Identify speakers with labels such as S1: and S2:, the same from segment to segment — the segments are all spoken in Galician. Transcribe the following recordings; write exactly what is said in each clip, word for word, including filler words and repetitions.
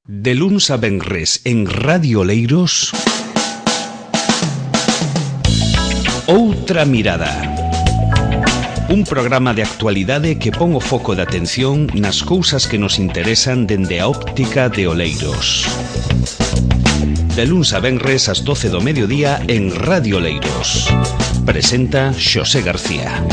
S1: De luns a venres en Radio Oleiros, Outra Mirada. Un programa de actualidade que pon o foco de atención nas cousas que nos interesan dende a óptica de Oleiros. De luns a venres ás doce do mediodía en Radio Oleiros. Presenta Xosé García.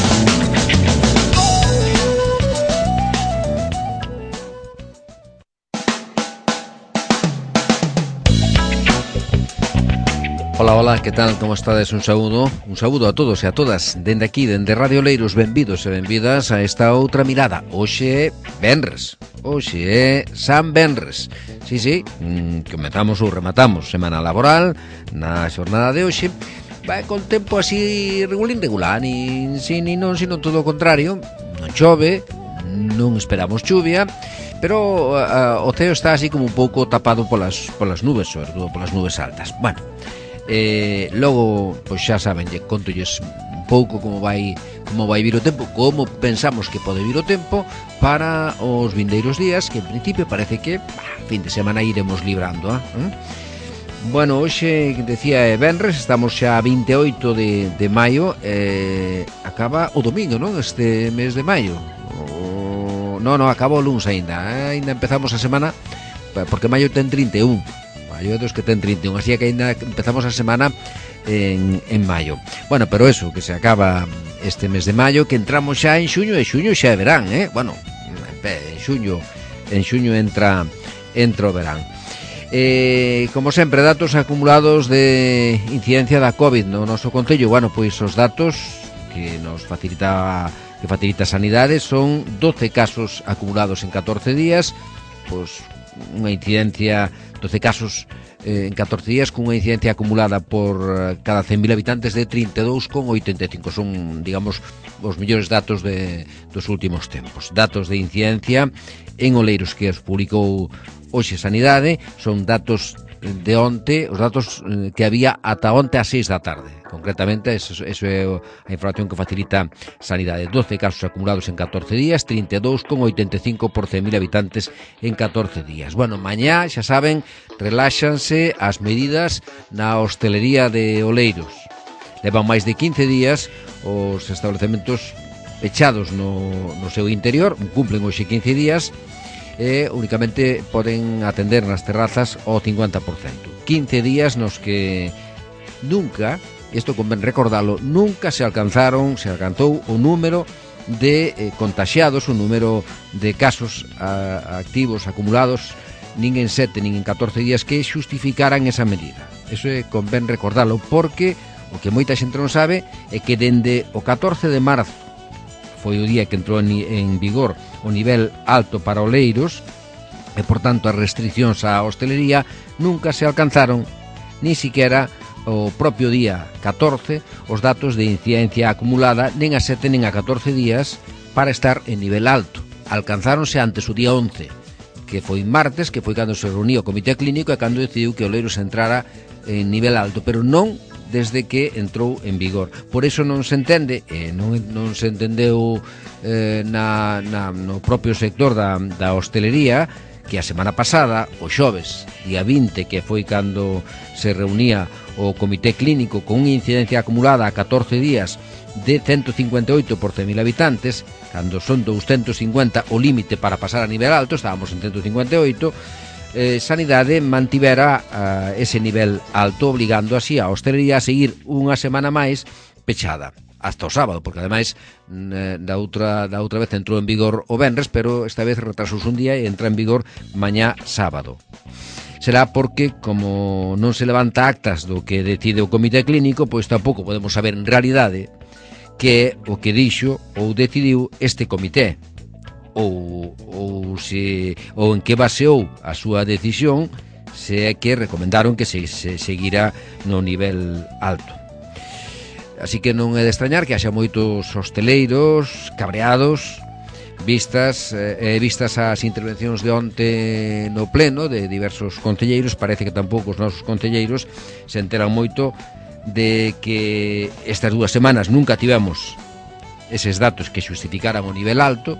S2: Ola, ola, que tal, como estades? Un saúdo, un saúdo a todos e a todas dende aquí, dende Radio Oleiros. Benvidos e benvidas a esta outra mirada. Hoxe é venres, hoxe é San Venres. Sí, sí, mm, comezamos ou rematamos semana laboral na xornada de hoxe. Vai con tempo así regulín regular, nin si, nin non, sino todo o contrario. Non chove, non esperamos chuvia, pero uh, o ceo está así como un pouco tapado polas, polas nubes, sobre todo polas nubes altas. Bueno, Eh, logo, pois xa saben, lle contolles un pouco como vai como vai vir o tempo, como pensamos que pode vir o tempo para os vindeiros días, que en principio parece que bah, fin de semana iremos librando, eh? Bueno, hoxe, decía, é venres, estamos xa a vinte e oito de, de maio, eh, acaba o domingo, non? Este mes de maio o... Non, non, acaba o luns aínda, eh? Ainda empezamos a semana, porque maio ten trinta e un. Maio é dos que ten trinta e un, así que ainda empezamos a semana en, en maio. Bueno, pero eso, que se acaba este mes de maio, que entramos xa en xuño, e xuño xa é verán, eh? Bueno, en xuño, en xuño entra, entra o verán. Eh, como sempre, datos acumulados de incidencia da COVID no noso concello. Bueno, pois os datos que nos facilita que facilita a Sanidade son doce casos acumulados en catorce días, pois unha incidencia, doce casos eh, en catorce días, cunha incidencia acumulada por cada cen mil habitantes de trinta e dous coma oitenta e cinco. Son, digamos, os mellores datos de, dos últimos tempos. Datos de incidencia en Oleiros que os publicou hoxe Sanidade, son datos de onte, os datos que había ata onte ás seis da tarde. Concretamente, eso, eso é a información que facilita Sanidade. doce casos acumulados en catorce días, trinta e dous coma oitenta e cinco por cen mil habitantes en catorce días. Bueno, mañá, xa saben, reláxanse as medidas na hostelería de Oleiros. Levan máis de quince días os establecementos pechados no, no seu interior, cumplen hoxe quince días, e únicamente poden atender nas terrazas ao cincuenta por cento. quince días nos que nunca, isto convén recordalo, nunca se alcanzaron, se alcanzou o número de eh, contaxiados, o número de casos a, activos acumulados, nin en sete nin en catorce días, que xustificaran esa medida. Eso é convén recordalo, porque o que moita xente non sabe é que dende o catorce de marzo foi o día que entrou en vigor o nivel alto para Oleiros, e, por tanto, as restriccións á hostelería nunca se alcanzaron, ni siquiera o propio día catorce, os datos de incidencia acumulada, nen a sete nen a catorce días, para estar en nivel alto. Alcanzáronse antes o día once, que foi martes, que foi cando se reuniu o comité clínico e cando decidiu que Oleiros entrara en nivel alto, pero non desde que entrou en vigor. Por eso non se entende, e non, non se entendeu eh, na, na, no propio sector da, da hostelería, que a semana pasada, o xoves, día vinte, que foi cando se reunía o comité clínico con unha incidencia acumulada a catorce días de ciento cincuenta e oito por cen mil habitantes, cando son doscientos cincuenta o límite para pasar a nivel alto, estábamos en ciento cincuenta e oito, Eh, Sanidade mantivera uh, ese nivel alto, obligando así a hostelería a seguir unha semana máis pechada hasta o sábado, porque ademais da outra da outra vez entrou en vigor o venres, pero esta vez retrasouse un día e entra en vigor mañá sábado. Será porque, como non se levanta actas do que decide o comité clínico, pois tampouco podemos saber en realidade que o que dixo ou decidiu este comité, ou, ou, se, ou en que baseou a súa decisión, se é que recomendaron que se, se seguira no nivel alto. Así que non é de extrañar que haxa moitos hosteleiros cabreados, vistas eh, vistas as intervencións de onte no pleno de diversos concelleiros. Parece que tampouco os nosos concelleiros se enteran moito de que estas dúas semanas nunca tivemos eses datos que xustificaran o nivel alto.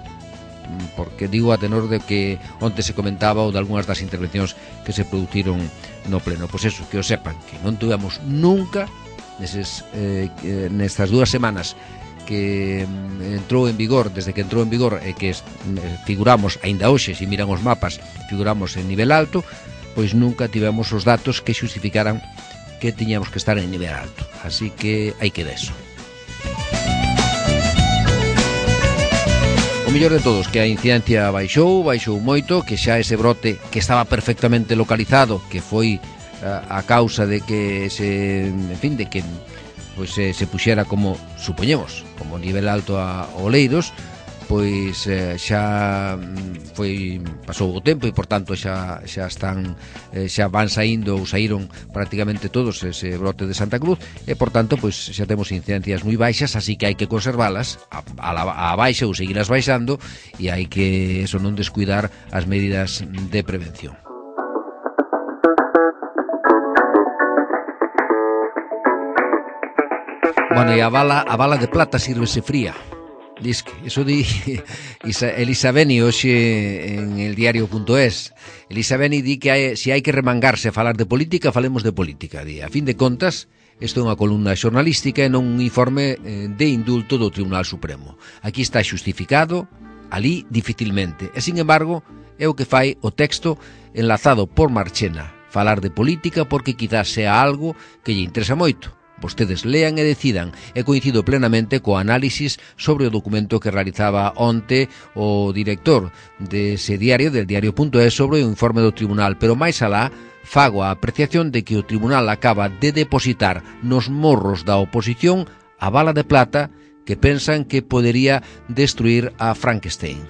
S2: porque digo a tenor de que onte se comentaba ou de algunhas das intervencións que se produciron no pleno. Pois eso, que o sepan, que non tuvemos nunca neses, eh, nestas dúas semanas que entrou en vigor, desde que entrou en vigor e que figuramos, aínda hoxe, se miran os mapas, figuramos en nivel alto, pois nunca tivemos os datos que xustificaran que tiñamos que estar en nivel alto. Así que hai que deso. O mellor de todos, que a incidencia baixou, baixou moito, que xa ese brote que estaba perfectamente localizado, que foi a, a causa de que se, en fin, de que pois se, se puxera como, supoñemos, como nivel alto a Oleiros, pois eh, xa foi pasou o tempo e por tanto xa xa están eh, xa van saindo ou saíron prácticamente todos ese brote de Santa Cruz e por tanto pois xa temos incidencias moi baixas, así que hai que conservalas a, a, a baixa ou seguirlas baixando e hai que eso non descuidar as medidas de prevención. Bueno, e a bala, a bala de plata sírvese fría. Diz que, eso di Elisa Beni hoxe en el diario punto es. Elisa Beni di que hai, se hai que remangarse a falar de política, falemos de política. Di, a fin de contas, isto é unha columna xornalística e non un informe de indulto do Tribunal Supremo. Aquí está xustificado, ali dificilmente. E, sin embargo, é o que fai o texto enlazado por Marchena. Falar de política porque quizás sea algo que lle interesa moito. Vostedes lean e decidan, e coincido plenamente co análisis sobre o documento que realizaba onte o director dese diario, del diario punto es, sobre o informe do tribunal, pero máis alá fago a apreciación de que o tribunal acaba de depositar nos morros da oposición a bala de plata que pensan que podería destruir a Frankenstein.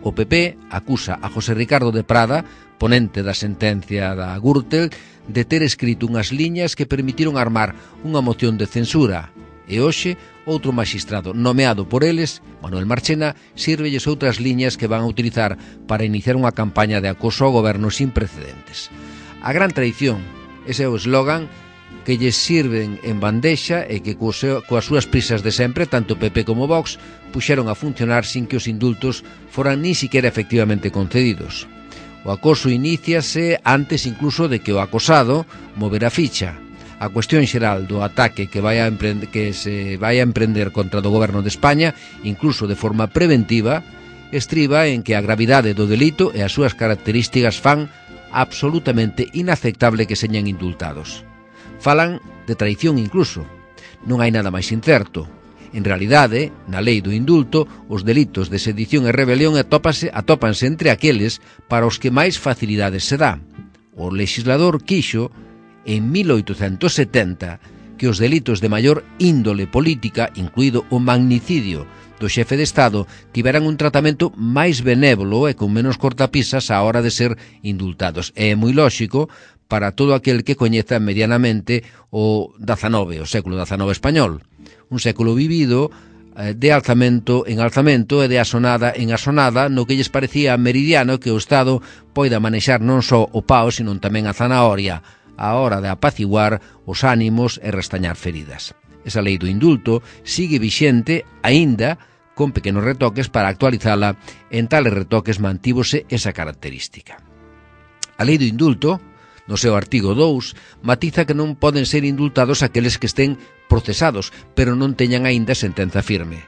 S2: O P P acusa a José Ricardo de Prada, ponente da sentencia da Gürtel, de ter escrito unhas liñas que permitiron armar unha moción de censura. E hoxe, outro magistrado nomeado por eles, Manuel Marchena, sírvelles outras liñas que van a utilizar para iniciar unha campaña de acoso ao goberno sin precedentes. A gran traición, ese é o eslogan que lles sirven en bandexa e que coas súas prisas de sempre, tanto P P como Vox, puxeron a funcionar sin que os indultos foran ni siquiera efectivamente concedidos. O acoso iníciase antes incluso de que o acosado movera ficha. A cuestión xeral do ataque que, vai a emprender, que se vai a emprender contra o goberno de España, incluso de forma preventiva, estriba en que a gravidade do delito e as súas características fan absolutamente inaceptable que señan indultados. Falan de traición incluso. Non hai nada máis incerto. En realidade, na lei do indulto, os delitos de sedición e rebelión atópase, atópanse entre aqueles para os que máis facilidades se dá. O legislador quixo, en mil oitocentos setenta, que os delitos de maior índole política, incluído o magnicidio do xefe de Estado, tiveran un tratamento máis benévolo e con menos cortapisas á hora de ser indultados. É moi lóxico para todo aquel que coñeza medianamente o dezanove, o século dezanove español. Un século vivido de alzamento en alzamento e de asonada en asonada no que lles parecía meridiano que o Estado poida manexar non só o pao, sino tamén a zanahoria, á hora de apaciguar os ánimos e restañar feridas. Esa lei do indulto sigue vixente, aínda con pequenos retoques para actualizala, en tales retoques mantívose esa característica. A lei do indulto, no seu artigo dous, matiza que non poden ser indultados aqueles que estén procesados, pero non teñan aínda sentenza firme.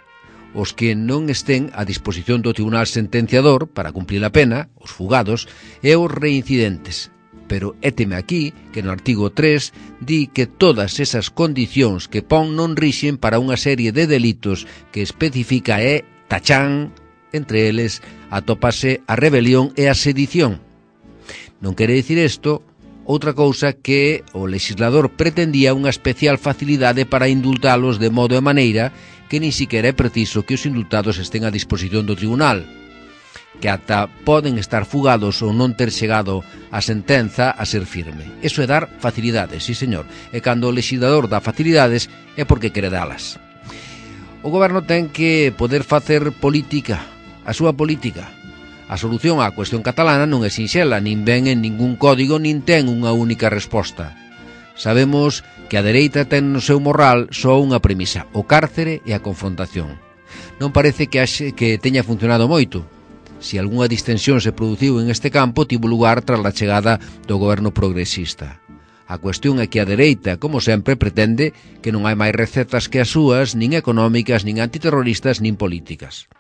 S2: Os que non estén a disposición do tribunal sentenciador para cumplir a pena, os fugados, e os reincidentes. Pero éteme aquí que no artigo tres di que todas esas condicións que pon non rixen para unha serie de delitos que especifica é tachán, entre eles atópase a rebelión e a sedición. Non quere dicir isto outra cousa que o legislador pretendía unha especial facilidade para indultalos de modo e maneira que nin siquiera é preciso que os indultados estén a disposición do tribunal, que ata poden estar fugados ou non ter chegado a sentenza a ser firme. Eso é dar facilidades, sí señor, e cando o legislador dá facilidades é porque quere dalas. O goberno ten que poder facer política, a súa política. A solución á cuestión catalana non é sinxela, nin ven en ningún código, nin ten unha única resposta. Sabemos que a dereita ten no seu morral só unha premisa, o cárcere e a confrontación. Non parece que, haxe, que teña funcionado moito. se algunha distensión se produciu en este campo, tivo lugar tras a chegada do goberno progresista. A cuestión é que a dereita, como sempre, pretende que non hai máis recetas que as súas, nin económicas, nin antiterroristas, nin políticas.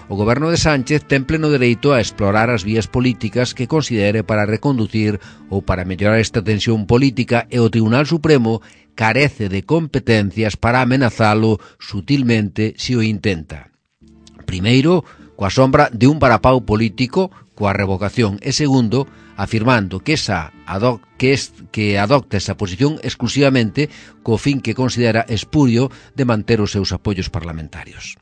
S2: O goberno de Sánchez ten pleno dereito a explorar as vías políticas que considere para reconducir ou para mellorar esta tensión política, e o Tribunal Supremo carece de competencias para amenazalo sutilmente se o intenta. Primeiro, coa sombra de un varapau político, coa revocación, e segundo, afirmando que esa adoc que, es, que adopta esa posición exclusivamente co fin que considera espurio de manter os seus apoios parlamentarios.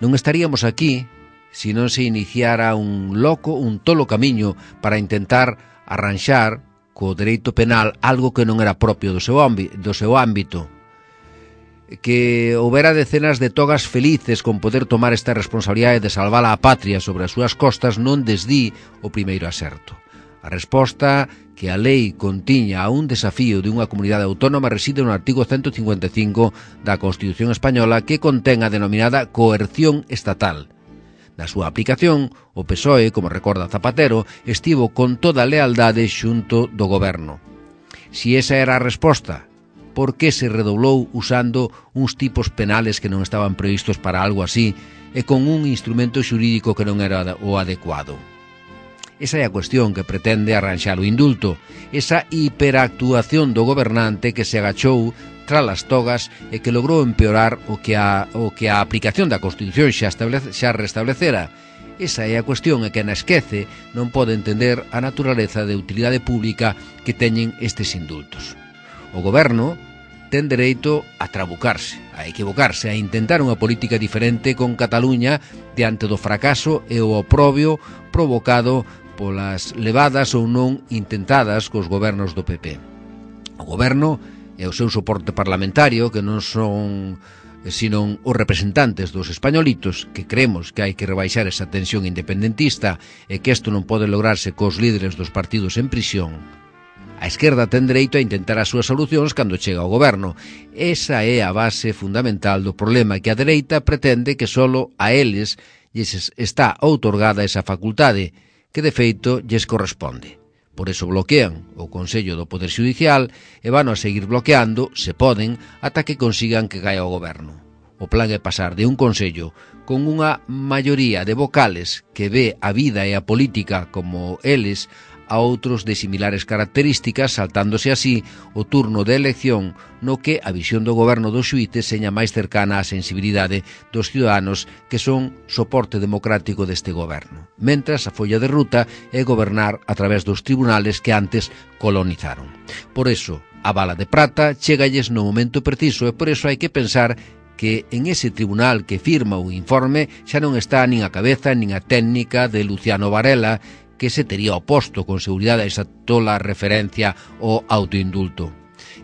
S2: Non estaríamos aquí se non se iniciara un loco, un tolo camiño para intentar arranxar co dereito penal algo que non era propio do seu, do seu ámbito, que houbera decenas de togas felices con poder tomar esta responsabilidade de salvar a patria sobre as súas costas non desdí o primeiro aserto. A resposta que a lei contiña a un desafío de unha comunidade autónoma reside no artigo ciento cincuenta e cinco da Constitución Española, que contén a denominada coerción estatal. Na súa aplicación, o P S O E, como recorda Zapatero, estivo con toda a lealdade xunto do goberno. Si esa era a resposta, por que se redoblou usando uns tipos penales que non estaban previstos para algo así e con un instrumento xurídico que non era o adecuado? Esa é a cuestión que pretende arranxar o indulto, esa hiperactuación do gobernante que se agachou tras as togas e que logrou empeorar o que a, o que a aplicación da Constitución xa, establece, xa restablecera. Esa é a cuestión, e que na esquece non pode entender a naturaleza de utilidade pública que teñen estes indultos. O goberno ten dereito a trabucarse, a equivocarse, a intentar unha política diferente con Cataluña diante do fracaso e o oprobio provocado polas levadas ou non intentadas cos gobernos do P P. O goberno e o seu soporte parlamentario, que non son sino os representantes dos españolitos, que creemos que hai que rebaixar esa tensión independentista e que isto non pode lograrse cos líderes dos partidos en prisión. A esquerda ten dereito a intentar as súas solucións cando chega ao goberno. Esa é a base fundamental do problema, que a dereita pretende que solo a eles lles está outorgada esa facultade, que de feito lles corresponde. Por eso bloquean o Consello do Poder Xudicial e van a seguir bloqueando, se poden, ata que consigan que caia o goberno. O plan é pasar de un Consello con unha maioría de vocales que ve a vida e a política como eles a outros de similares características, saltándose así o turno de elección no que a visión do goberno dos xuíces seña máis cercana á sensibilidade dos ciudadanos que son soporte democrático deste goberno, mentras a folla de ruta é gobernar a través dos tribunales que antes colonizaron. Por eso, a bala de prata chegalles no momento preciso, e por eso hai que pensar que en ese tribunal que firma o informe xa non está nin a cabeza nin a técnica de Luciano Varela, que se tería oposto con seguridade a esa tola referencia ao autoindulto.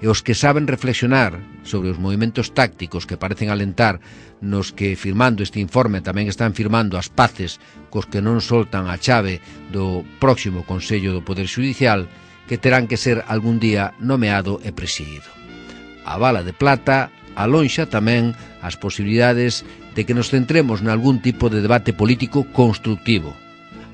S2: E os que saben reflexionar sobre os movimentos tácticos que parecen alentar nos que, firmando este informe, tamén están firmando as paces cos que non soltan a chave do próximo Consello do Poder Xudicial, que terán que ser algún día nomeado e presidido. A bala de plata alonxa tamén as posibilidades de que nos centremos nalgún tipo de debate político constructivo.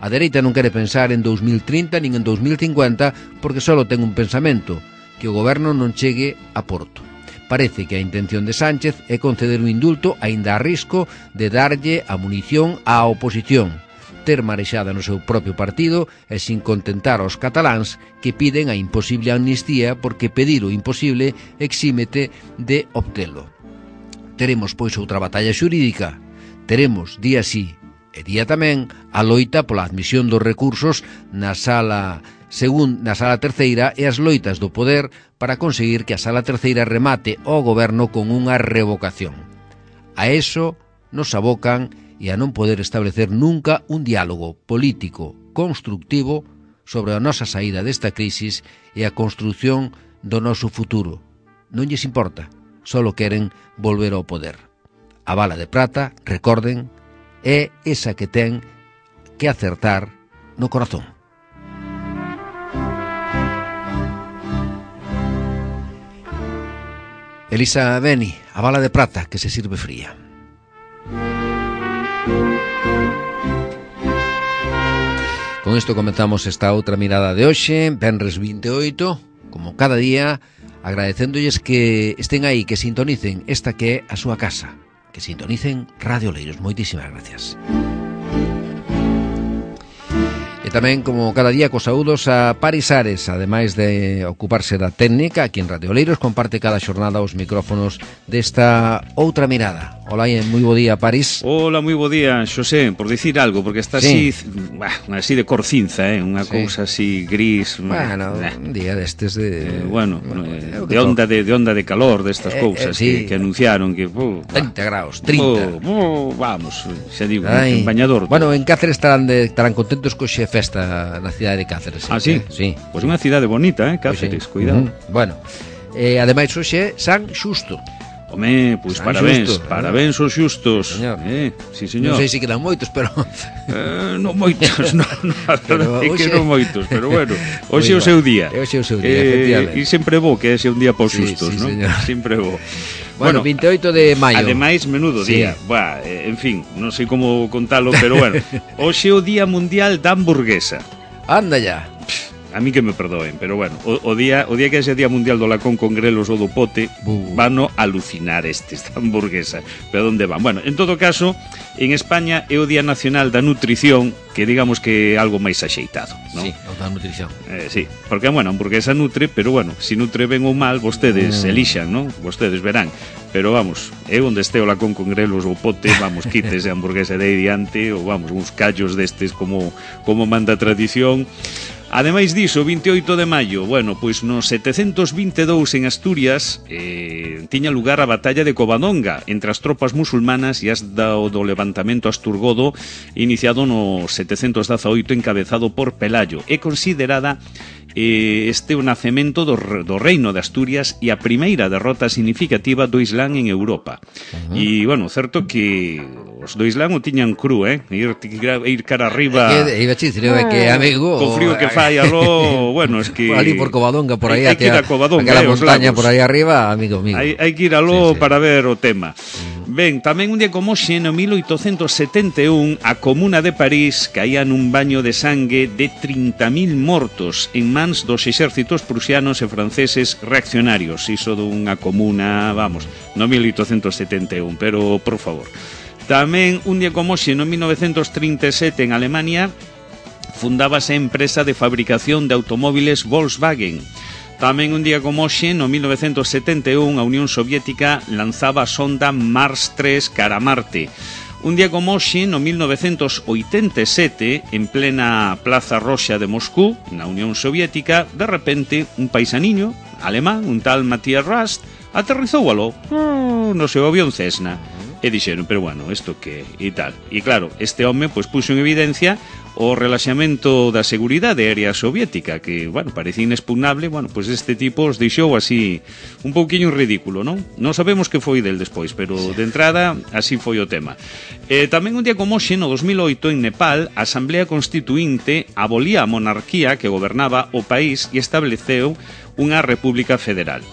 S2: A dereita non quere pensar en dous mil trinta nin en dous mil cincuenta porque só ten un pensamento, que o goberno non chegue a porto. Parece que a intención de Sánchez é conceder un indulto aínda a risco de darlle a munición á oposición, ter marexada no seu propio partido e sin contentar aos cataláns que piden a imposible amnistía, porque pedir o imposible exímete de obtelo. Teremos pois outra batalla xurídica, teremos día sí e día tamén a loita pola admisión dos recursos na sala según na sala terceira e as loitas do poder para conseguir que a sala terceira remate o goberno con unha revocación. A eso nos abocan e a non poder establecer nunca un diálogo político constructivo sobre a nosa saída desta crisis e a construción do noso futuro. Non lles importa, só queren volver ao poder. A bala de prata, recorden, é esa que ten que acertar no corazón. Elisa Beni, a bala de prata que se sirve fría. con isto comenzamos esta outra mirada de hoxe, venres vinte e oito, como cada día, agradecéndolles que estén aí, que sintonicen esta que é a súa casa, que sintonicen Radio Oleiros. Moitísimas gracias. E tamén, como cada día, cos saúdos a Paris Ares, ademais de ocuparse da técnica, aquí en Radio Oleiros, comparte cada xornada os micrófonos desta outra mirada. Hola, e moi bo día, Paris.
S1: Hola, moi bo día, Xosé, por dicir algo, porque está
S2: sí.
S1: así, bah, así de corcinza, eh? Unha sí. cousa así gris.
S2: Bueno, eh. un día destes de...
S1: Eh, bueno, eh, de onda de, de onda de calor, destas eh, cousas eh, sí. que, que anunciaron que... Uh,
S2: trinta graus, trinta.
S1: Uh, uh, vamos, xa digo, Ay. en bañador.
S2: Bueno, en Cáceres estarán, de, estarán contentos co xe festa na cidade de Cáceres.
S1: Ah, sí?
S2: Eh? Sí.
S1: Pois pues unha cidade bonita, eh, Cáceres, pues sí. cuidado.
S2: Uh-huh. Bueno, eh, ademais hoxe San Xusto.
S1: Home, pois pues parabéns, xusto, parabéns aos xustos.
S2: Señor.
S1: Eh, sí, señor.
S2: Non sei se quedan moitos, pero...
S1: Eh, non moitos, non, non, é que non moitos, pero bueno, hoxe é o seu día.
S2: Hoxe é o seu día,
S1: eh,
S2: efectivamente.
S1: E sempre bo que é un día para os
S2: sí,
S1: xustos,
S2: sí,
S1: non?
S2: Señor.
S1: Sempre bo.
S2: Bueno, vinte e oito de maio.
S1: Ademais, menudo
S2: sí.
S1: día. Buah, eh, en fin, non sei como contalo, pero bueno, hoxe é o Día Mundial da Hamburguesa.
S2: Anda ya.
S1: A mí que me perdoen, pero bueno, o, o día o día que é ese Día Mundial do lacón con grelos ou do pote, uh. vano alucinar estes da hamburguesa. Pero onde van? Bueno, en todo caso, en España é o Día Nacional da Nutrición, que digamos que é algo máis axeitado, non?
S2: Sí, o da nutrición.
S1: Eh, sí, porque, bueno, a hamburguesa nutre, pero, bueno, si nutre ben ou mal, vostedes mm. elixan, non? Vostedes verán. Pero, vamos, é onde este o lacón con grelos ou pote, vamos, quites a hamburguesa de aí diante, ou, vamos, uns callos destes como, como manda a tradición. Ademais diso, vinte e oito de maio, bueno, pois no setecentos vinte e dous en Asturias eh, tiña lugar a batalla de Covadonga entre as tropas musulmanas e as do, do levantamento asturgodo iniciado no setecentos dezaoito encabezado por Pelayo. É considerada eh, este o nacemento do, do reino de Asturias e a primeira derrota significativa do Islán en Europa. Uh-huh. E, bueno, certo que os do Islán o tiñan cru, eh? Ir, ir cara arriba...
S2: É que, iba a dicir, é que, amigo...
S1: Con frío que fai aló, bueno, es que...
S2: Por ali por Covadonga, por aí,
S1: hai, hai que ir a Covadonga,
S2: aquela
S1: eh,
S2: montaña por aí arriba, amigo mío.
S1: Hai, hai que ir aló
S2: sí, sí.
S1: para ver o tema. Ben, tamén un día como xe, no mil oitocentos setenta e un, a Comuna de París caía nun baño de sangue de trinta mil mortos en mans dos exércitos prusianos e franceses reaccionarios. Iso dunha comuna, vamos, no mil oitocentos setenta e un, pero, por favor. Tamén un día como xe, no mil novecentos trinta e sete en Alemania, fundábase a empresa de fabricación de automóviles Volkswagen. Tamén un día como hoxe, no mil novecentos setenta e un, a Unión Soviética lanzaba a sonda Mars tres cara a Marte. Un día como hoxe, no mil novecentos oitenta e sete, en plena Plaza Roxa de Moscú, na Unión Soviética, de repente, un paisaniño alemán, un tal Matthias Rast, aterrizou aló uh, no seu avión Cessna. E dixeron, pero bueno, isto que e tal. E claro, este home pois puxo en evidencia o relaxamento da seguridade aérea soviética, que, bueno, parecía inexpugnable. Bueno, pois este tipo os deixou así un pouquiño ridículo, non? Non sabemos que foi del despois, pero de entrada así foi o tema. Eh, tamén un día como hoxe, no dos mil oito, en Nepal, a Asamblea Constituinte abolía a monarquía que gobernaba o país e estableceu unha república federal.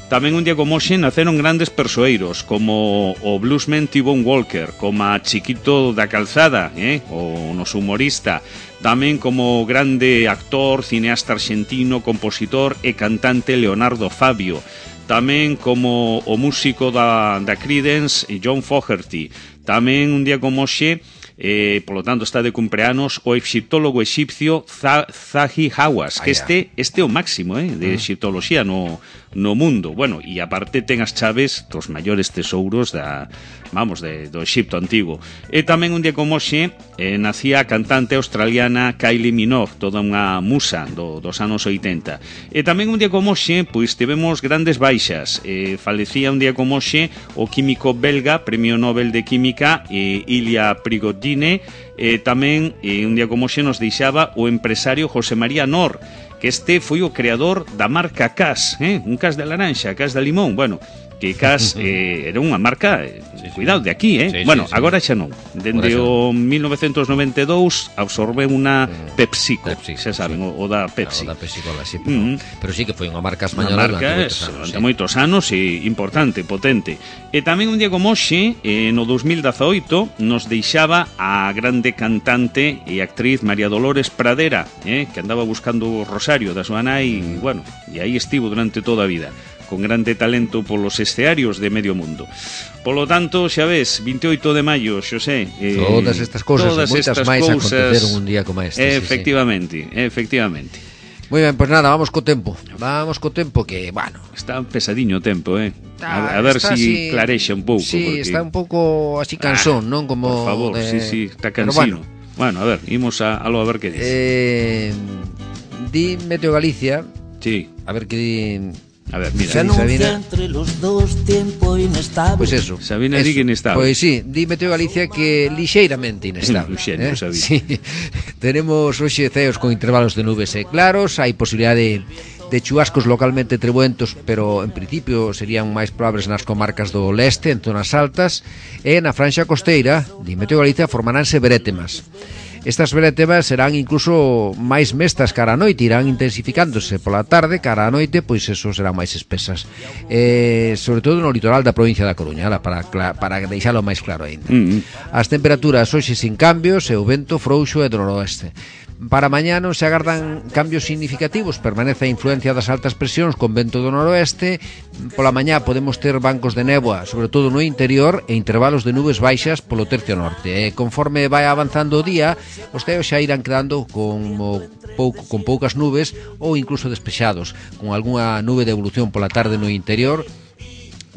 S1: Tamén un día como hoxe naceron grandes persoeiros como o bluesman T-Bone Walker, como a Chiquito da Calzada, eh? o noso humorista, tamén como grande actor, cineasta argentino, compositor e cantante Leonardo Fabio, tamén como o músico da, da Creedence John Fogerty, tamén un día como hoxe, eh, polo tanto está de cumpleanos o egiptólogo exipcio Zahi Hawass, que este este é o máximo eh, de egiptoloxía no, no mundo. Bueno, e aparte ten as chaves dos maiores tesouros da, vamos, de, do Egipto antigo. E tamén un día como hoxe eh, nacía a cantante australiana Kylie Minogue, toda unha musa do, dos anos oitenta. E tamén un día como hoxe, pois tivemos grandes baixas. Eh, falecía un día como hoxe o químico belga, Premio Nobel de Química, eh, Ilya Prigogine. Eh, tamén eh, un día como hoxe nos deixaba o empresario José María Nor, que este foi o creador da marca Cas, eh? un Cas de laranxa, Cas de limón. Bueno,
S3: que cas eh, era unha marca, eh, sí, cuidado, de aquí, eh? Sí, bueno, sí, sí. Agora xa non. Dende o mil novecentos noventa e dous absorbeu unha PepsiCo, Pepsi, xa saben, sí. o, o da Pepsi.
S2: O da PepsiCola, sí, pero, mm-hmm. pero sí que foi unha marca española
S3: unha marca durante moitos anos, sí. e importante, potente. E tamén un día como hoxe, eh, no dos mil dezaoito, nos deixaba a grande cantante e actriz María Dolores Pradera, eh, que andaba buscando o rosario da súa nai, mm. bueno, e aí estivo durante toda a vida, con grande talento polos escearios de medio mundo. Polo tanto, xa ves, vinte e oito de maio, Xosé,
S2: eh, todas estas cousas, todas moitas máis aconteceron un día como este.
S3: Efectivamente, sí, sí. efectivamente.
S2: Moi ben, pois pues nada, vamos co tempo. Vamos co tempo que, bueno,
S3: está pesadiño o tempo, eh. A, a ver se si clarexa un pouco,
S2: sí,
S3: porque
S2: está un pouco así cansón, ah, non? Como
S3: por favor,
S2: de...
S3: sí, sí, está cansino. Bueno. bueno, a ver, imos a, a lo a ver que dice.
S2: Eh, di Meteo Galicia.
S3: Sí.
S2: A ver que di...
S3: A ver, mira,
S4: se anuncia entre los dos tiempo inestable.
S2: Pois pues eso.
S3: Sabina di que inestable.
S2: Pois pues sí, di Meteo Galicia que lixeiramente inestable.
S3: Luxeiro,
S2: eh?
S3: Sabina.
S2: Sí. Tenemos hoxe ceos con intervalos de nubes e claros, hai posibilidade de, de chubascos localmente trebuentos, pero en principio serían máis probables nas comarcas do leste, en zonas altas, e na franxa costeira, di Meteo Galicia, formaránse brétemas. Estas brétemas serán incluso máis mestas cara a noite, irán intensificándose pola tarde, cara a noite, pois eso serán máis espesas. Eh, sobre todo no litoral da provincia da Coruña, para, para deixalo máis claro ainda. Mm-hmm. As temperaturas hoxe sin cambios e o vento frouxo e do noroeste. Para mañá non se agardan cambios significativos, permanece a influencia das altas presións con vento do noroeste. Pola mañá podemos ter bancos de néboa, sobre todo no interior, e intervalos de nubes baixas polo tercio norte. E conforme vai avanzando o día, os ceos xa irán quedando con, pouco, con poucas nubes ou incluso despexados, con algunha nube de evolución pola tarde no interior,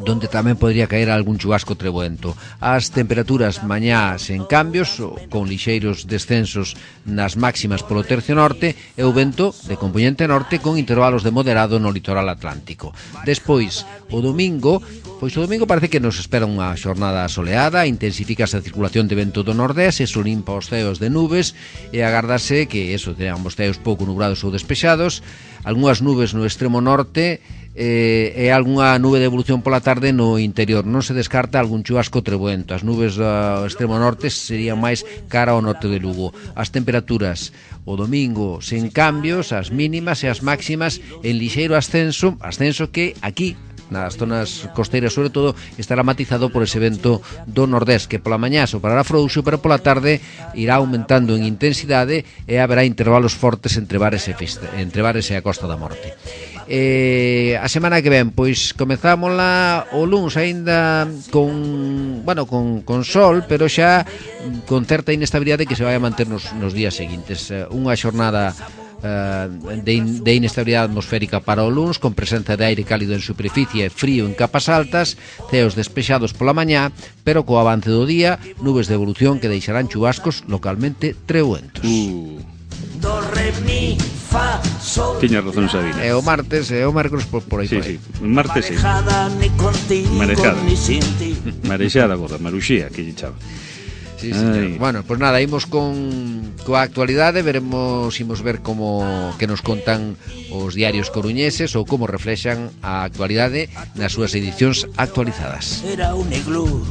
S2: donde tamén podría caer algún chubasco trebuento. As temperaturas mañá sen cambios, con lixeiros descensos nas máximas polo tercio norte, e o vento de componente norte con intervalos de moderado no litoral atlántico. Despois, o domingo, pois o domingo parece que nos espera unha xornada soleada, intensifícase a circulación de vento do nordés, eso limpa os ceos de nubes, e agardase que eso teñan os ceos pouco nubrados ou despexados, algunhas nubes no extremo norte, eh, e algunha nube de evolución pola tarde no interior. Non se descarta algún chubasco trebuento. As nubes do extremo norte serían máis cara ao norte de Lugo. As temperaturas o domingo sen cambios, as mínimas e as máximas en lixeiro ascenso, ascenso que aquí nas zonas costeiras sobre todo estará matizado por ese vento do nordés que pola mañá soprará frouxo, pero pola tarde irá aumentando en intensidade e haberá intervalos fortes entre Bares e, Fiste, entre Bares e a Costa da Morte. Eh, a semana que ven pois comezámola o luns aínda con, bueno, con, con sol, pero xa con certa inestabilidade que se vai a manter nos, nos días seguintes. Unha xornada uh, de, in, de inestabilidade atmosférica para o luns, con presenza de aire cálido en superficie e frío en capas altas, ceos despexados pola mañá, pero co avance do día, nubes de evolución que deixarán chubascos localmente trebuentos.
S3: Uh. Do, re, mi, fa, sol. Tiña razón, Sabina.
S2: É o martes e o mércoles por, por aí.
S3: Sí,
S2: por aí.
S3: sí. Martes sí. Marejada. Marexada, gorda, maruxía, que lle chava.
S2: Sí, señor. Bueno, pues nada, imos con coa actualidade, veremos, imos ver como que nos contan os diarios coruñeses ou como reflexan a actualidade nas súas edicións actualizadas.
S4: Era un iglú.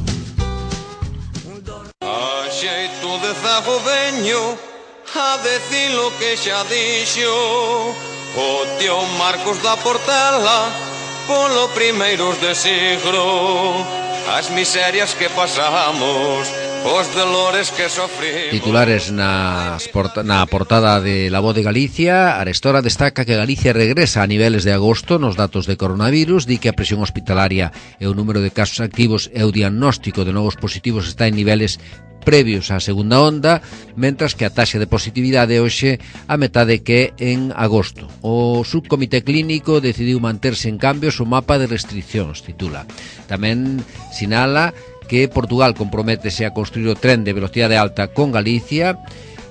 S5: A xeito de zago veño a decir lo que xa dixo o tío Marcos da Portela polo primeiros de siglo, as miserias que pasamos, os dolores que sofrimos.
S2: Titulares nas porta, na portada de La Voz de Galicia. Arestora destaca que Galicia regresa a niveles de agosto nos datos de coronavirus, di que a presión hospitalaria e o número de casos activos e o diagnóstico de novos positivos está en niveles previos á segunda onda, mentras que a taxa de positividade hoxe a metade que en agosto. O subcomité clínico decidiu manterse en cambios o mapa de restriccións, titula. Tamén sinala que Portugal comprométese a construir o tren de velocidade alta con Galicia,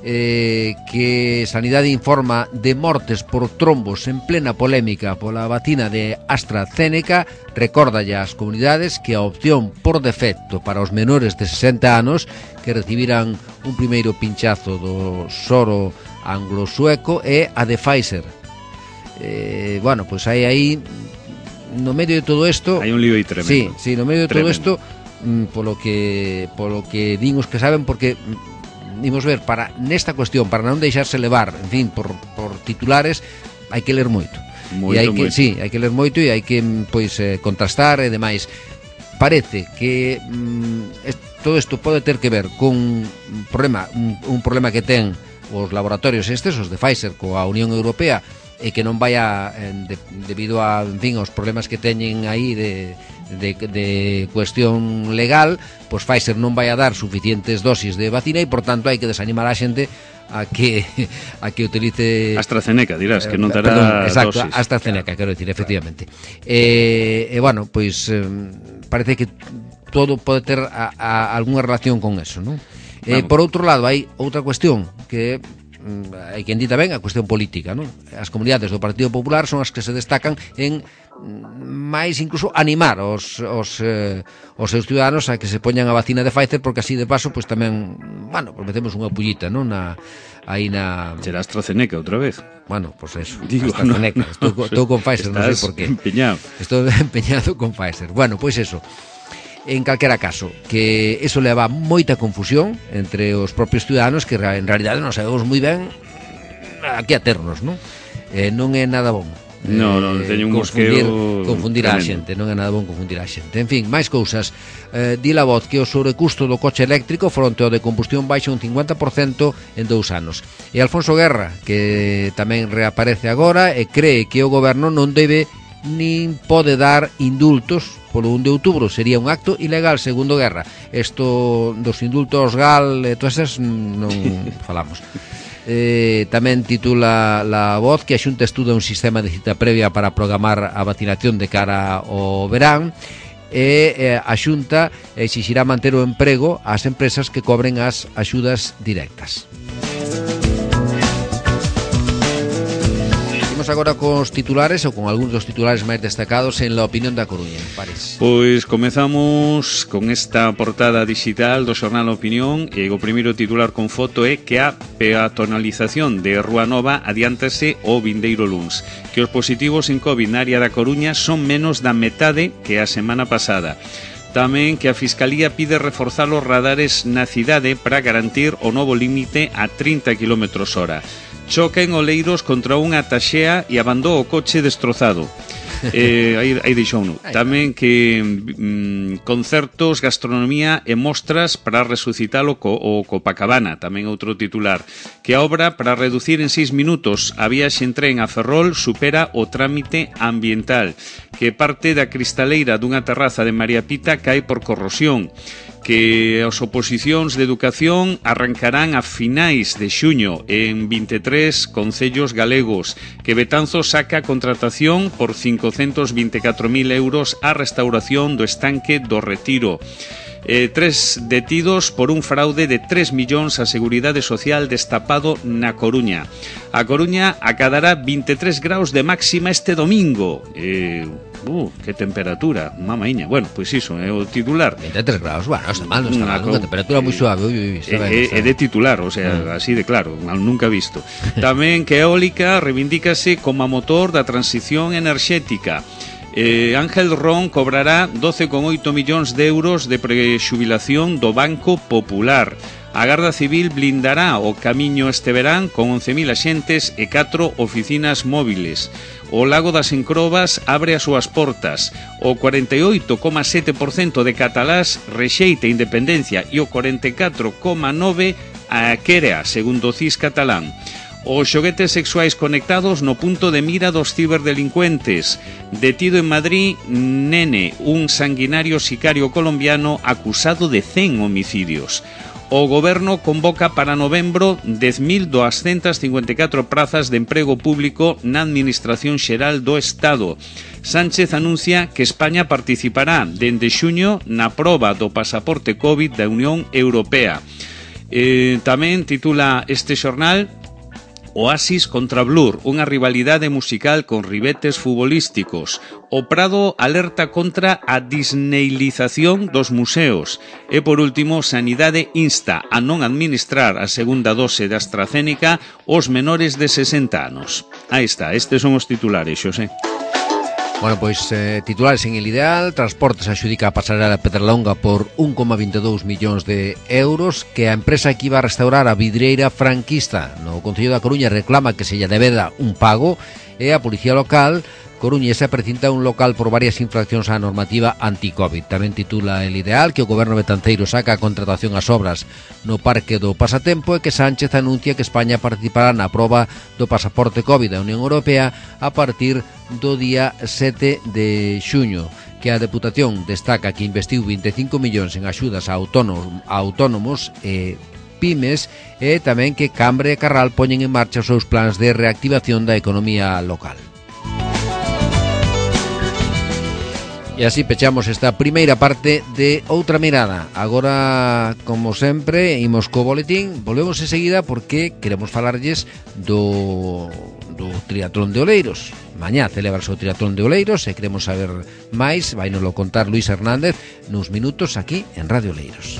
S2: eh, que Sanidade informa de mortes por trombos en plena polémica pola vacina de AstraZeneca, recorda ya ás comunidades que a opción por defecto para os menores de sesenta anos que recibiran un primeiro pinchazo do soro anglo-sueco é a de Pfizer. Eh, bueno, pois hai aí no medio de todo isto...
S3: Hai un lío aí tremendo.
S2: Sí, sí, no medio de
S3: tremendo.
S2: todo isto, mm, polo que polo que din os que saben, porque mm, imos ver, para nesta cuestión, para non deixarse levar, en fin, por, por titulares, hai que ler moito.
S3: Moito,
S2: e hai que,
S3: moito.
S2: sí, hai que ler moito e hai que, pois, eh, contrastar e demais. Parece que mm, est, todo isto pode ter que ver con un problema, un, un problema que ten os laboratorios estes, os de Pfizer coa Unión Europea, e que non vaya eh, de, debido a, en fin, aos problemas que teñen aí de, de, de cuestión legal, pois Pfizer non vai a dar suficientes dosis de vacina e, por tanto, hai que desanimar a xente a que a que utilice
S3: AstraZeneca, dirás, que non
S2: eh,
S3: dará
S2: perdón, exacto,
S3: dosis.
S2: AstraZeneca, quero decir, efectivamente. E, eh, eh, bueno, pois eh, parece que todo pode ter a, a, algunha relación con eso, non? Eh, por outro lado, hai outra cuestión que hai quen di tamén a cuestión política, non? As comunidades do Partido Popular son as que se destacan en máis incluso animar os, os, eh, os seus ciudadanos a que se poñan a vacina de Pfizer, porque así de paso pois tamén, bueno, pues metemos unha pullita, non? Na, aí na...
S3: Será AstraZeneca outra vez.
S2: Bueno, pues eso,
S3: Digo,
S2: AstraZeneca.
S3: no, no,
S2: estou, estou con Pfizer, non sei
S3: estás
S2: por qué.
S3: empeñado.
S2: Estou empeñado con Pfizer. Bueno, pois eso. En calquera caso, que eso leva moita confusión entre os propios ciudadanos que en realidade non sabemos moi ben a que aternos, non? Eh, non é nada bom.
S3: No, no, teño un
S2: confundir,
S3: mosqueo
S2: confundir a
S3: tremendo.
S2: xente, non é nada bom confundir a xente. En fin, máis cousas. Eh, di la voz que o sobrecusto do coche eléctrico fronte ao de combustión baixa un cincuenta por cento en dous anos. E Alfonso Guerra, que tamén reaparece agora e cree que o goberno non debe nin pode dar indultos polo un de outubro, sería un acto ilegal segundo Guerra. Isto dos indultos gal e todas esas non falamos. Eh, tamén titula La Voz que a Xunta estuda un sistema de cita previa para programar a vacinación de cara ao verán e eh, a Xunta exixirá manter o emprego ás empresas que cobren as axudas directas. Agora cos titulares ou con algúns dos titulares máis destacados en La Opinión da Coruña, París.
S3: Pois comezamos con esta portada digital do xornal Opinión e o primeiro titular con foto é que a peatonalización de Rúa Nova adiántase o vindeiro luns, que os positivos en COVID na área da Coruña son menos da metade que a semana pasada. Tamén que a Fiscalía pide reforzar os radares na cidade para garantir o novo límite a trinta kilómetros hora. Choca en Oleiros contra unha taxea e abandou o coche destrozado. eh, aí, aí deixou uno. Tamén que mm, concertos, gastronomía e mostras para resucitar o, co, o Copacabana. Tamén outro titular. Que a obra para reducir en seis minutos a viaxe en tren a Ferrol supera o trámite ambiental. Que parte da cristaleira dunha terraza de María Pita cae por corrosión. Que as oposicións de educación arrancarán a finais de xuño en vinte e tres concellos galegos, que Betanzos saca a contratación por cincocentos vinte e catro mil euros a restauración do estanque do Retiro. Eh, tres detidos por un fraude de tres millóns a Seguridade Social destapado na Coruña. A Coruña acadará vinte e tres graus de máxima este domingo. Eh, uh, que temperatura, mamaiña. Bueno, pois iso, é o titular.
S2: vinte e tres graus, bueno, está mal, non está mal, unha temperatura moi suave. Ui, ui, está ben, está
S3: É de titular, o sea, ah. así de claro, nunca visto. Tamén que a eólica reivindícase como a motor da transición enerxética. Eh, Ángel Ron cobrará doce coma oito millóns de euros de prexubilación do Banco Popular. A Garda Civil blindará o camiño este verán con once mil axentes e catro oficinas móviles. O Lago das Encrobas abre as súas portas. O cuarenta e oito coma sete por cento de catalás rexeita a independencia e o cuarenta e catro coma nove por cento a querea, segundo o C I S catalán. Os xoguetes sexuais conectados no punto de mira dos ciberdelincuentes. Detido en Madrid, Nene, un sanguinario sicario colombiano acusado de cen homicidios. O goberno convoca para novembro dez mil doscientas cincuenta e catro prazas de emprego público na Administración Xeral do Estado. Sánchez anuncia que España participará dende xuño na proba do pasaporte COVID da Unión Europea. Eh, tamén titula este xornal Oasis contra Blur, unha rivalidade musical con ribetes futbolísticos. O Prado alerta contra a disneylización dos museos. E por último, Sanidade insta a non administrar a segunda dose de AstraZeneca aos menores de sesenta anos. Aí está, estes son os titulares, Xosé.
S2: Bueno, pois eh, titulares en el ideal. Transportes adxudica a pasarela de Pedralonga por un coma veintidós millóns de euros, que a empresa que iba a restaurar a vidreira franquista no Concello da Coruña reclama que se lle debeda un pago, e a Policía Local coruñesa precinta un local por varias infraccións á normativa anti-Covid. Tamén titula el ideal que o goberno betanceiro saca a contratación ás obras no Parque do Pasatempo, e que Sánchez anuncia que España participará na proba do pasaporte Covid da Unión Europea a partir do día sete de xuño. Que a Deputación destaca que investiu vinte e cinco millóns en axudas a autónomos, a autónomos e pymes, e tamén que Cambre e Carral poñen en marcha os seus plans de reactivación da economía local. E así pechamos esta primeira parte de Outra Mirada. Agora, como sempre, imos co boletín. Volvemos enseguida porque queremos falarlles do, do triatlón de Oleiros. Mañá celebrase o triatlón de Oleiros e queremos saber máis. Vai nos lo contar Luis Hernández nuns minutos aquí en Radio Oleiros.